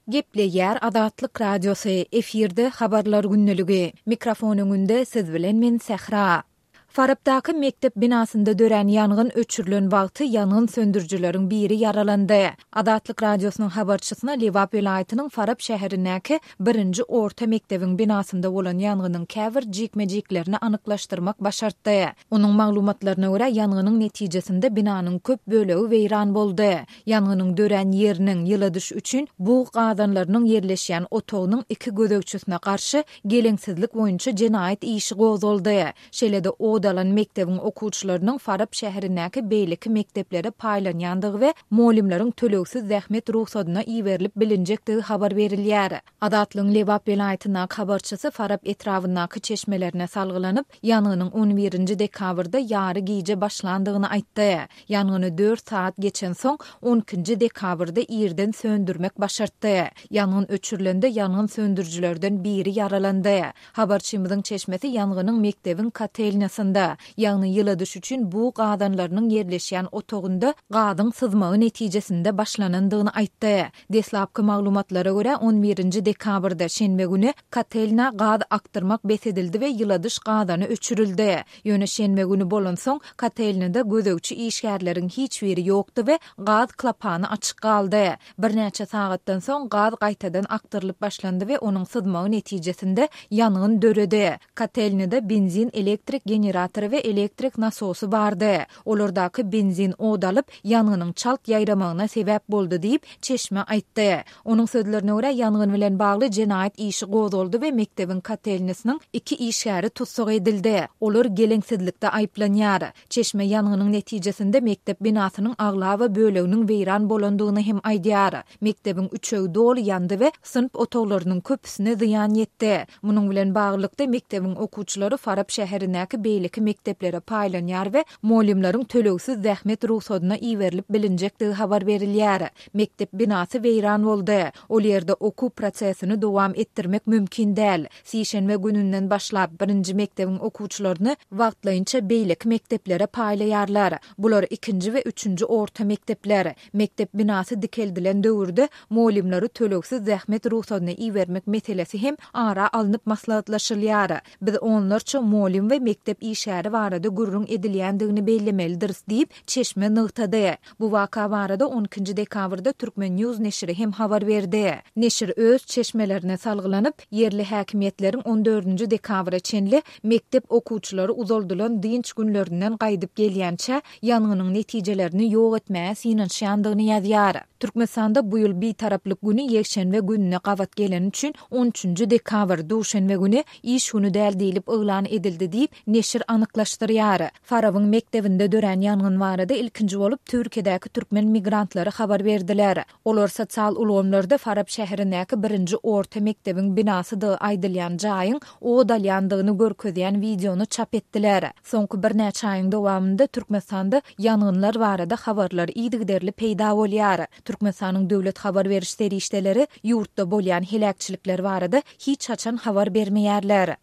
Gepleýär Azatlyk Radiosy, efirde Habarlar gündeligi. Mikrofon öňünde siz bilen men Sähra. Farapdaky mekdep binasynda dörän ýangyn öçürilen wagty ýangyn söndürijileriň biri ýaralandy. Azatlyk Radiosynyň habarçysyna Lebap welaýatynyň Farap şäherindäki birinji orta mekdebiň binasynda bolan ýangynyň käbir jikme-jiklerini anyklaşdyrmak başartdy. Onuň maglumatlaryna görä, ýangynyň netijesinde binanyň köp bölegi weýran boldy. Ýangynyň dörän ýeriniň, ýyladyş üçin bug gazanlarynyň ýerleşýän otagynyň iki gözegçisine garşy geleňsizlik boýunça jenaýat işi gozgaldy. Şeýle-de ot alan mekdebiň okuwçylarynyň Farap şäherindäki beýleki mekdeplere paýlanýandygy we mugallymlaryň tölegsiz zähmet rugsadyna iberilip bilinjekdigi habar berilýär. Azatlygyň Lebap welaýatyndaky habarçysy Farap etrabyndaky çeşmelerine salgylanyp, ýangynyň on birinji dekabrda ýary gije başlandygyny aýtdy. Ýangyny dört sagat geçensoň, on ikinji dekabrda irden söndürmek başartdy. Ýangyn öçürilende ýangyn söndürijilerden biri ýaralandy. Habarçymyzyň çeşmesi ýangynyň mekdebiň kotelnýasynda, ýagny ýyladyş üçin bug gazanlarynyň ýerleşýän otagynda gazyň syzmagy netijesinde başlanandygyny aýtdy. Deslapky maglumatlara görä, on birinji dekabrda, şenbe güni, kotelnä gaz akdyrmak bes edildi we ýyladyş gazany öçürildi. Ýöne şenbe güni bolansoň, kotelnada gözegçi işgärleriň hiç biri ýokdy we gaz klapany açyk galdy. Birnäçe sagatdan soň gaz gaýtadan akdyrylyp başlandy we onuň syzmagy netijesinde ýangyn döredi. Kotelnada benzin elektrik generatory we elektrik nasosy bardy. Olardaky benzin ot alyp, ýangynyň çalt ýaýramagyna sebäp boldy diýip, çeşme aýtdy. Onuň sözlerine görä, ýangyn bilen bagly jenaýat işi gozgaldy we mekdebiň kotelnisiniň iki işgäri tussag edildi. Olar geleňsizlikde aýyplanýar. Çeşme ýangynyň netijesinde mekdep binasynyň aglaba böleginiň weýran bolandygyny hem aýdýar. Mekdebiň üçegi doly ýandy we synp otaglarynyň köpüsine zyýan ýetdi. Munuň bilen baglylykda, mekdebiň okuwçylary Farap şäherindäki beýleki mekdeplere paýlanýar we mugallymlaryň tölegsiz zähmet rugsadyna iberilip bilinjekdigi habar berilýär. Mekdep binasy weýran boldy. Ol ýerde okuw prosesini dowam etdirmek mümkin däl. Sişenbe gününden başlap, birinji mekdebiň okuwçylaryny wagtlaýynça beýleki mekdeplere paýlaýarlar. Bular ikinji we üçünji orta mekdepler. Mekdep binasy dikeldilen döwürde mugallymlary tölegsiz zähmet rugsadyna ibermek meselesi hem ara alnyp maslahatlaşylýar. Biz onlarça mugallym we mekdep işgäri barada gürrüň edilýändigini bellemelidiris diýip, çeşme nygtady. Bu waka barada on ikinji dekabrda Turkmen. News neşiri hem habar berdi. Neşir öz çeşmelerine salgylanyp, ýerli häkimiýetleriň on dördünji dekabra çenli mekdep okuwçylary uzaldylan dynç günlerinden gaýdyp gelýänçä ýangynyň netijelerini ýok etmäge synanyşýandygyny ýazýar. Türkmenistanda bu ýyl Bitaraplyk güni ýekşenbe gününe gabat geleni üçin on üçünji dekabr, duşenbe güni iş güni däl diýlip yglan edildi diýip, neşir anyklaşdyrýar. Farabyň mekdebinde dörän ýangyn barada ilkinji bolup Türkiýedäki türkmen migrantlary habar berdiler. Olar sosial ulgamlarda Farap şäherindäki birinji orta mekdebiň binasydygy aýdylýan jaýyň ot alýandygyny görkezýän wideony çap etdiler. Soňky birnäçe aýyň dowamynda Türkmenistanda ýangynlar barada habarlar yzygiderli peýda bolýar. Türkmenistanyň döwlet habar beriş serişdeleri ýurtda bolýan heläkçilikler barada hiç haçan habar bermeýärler.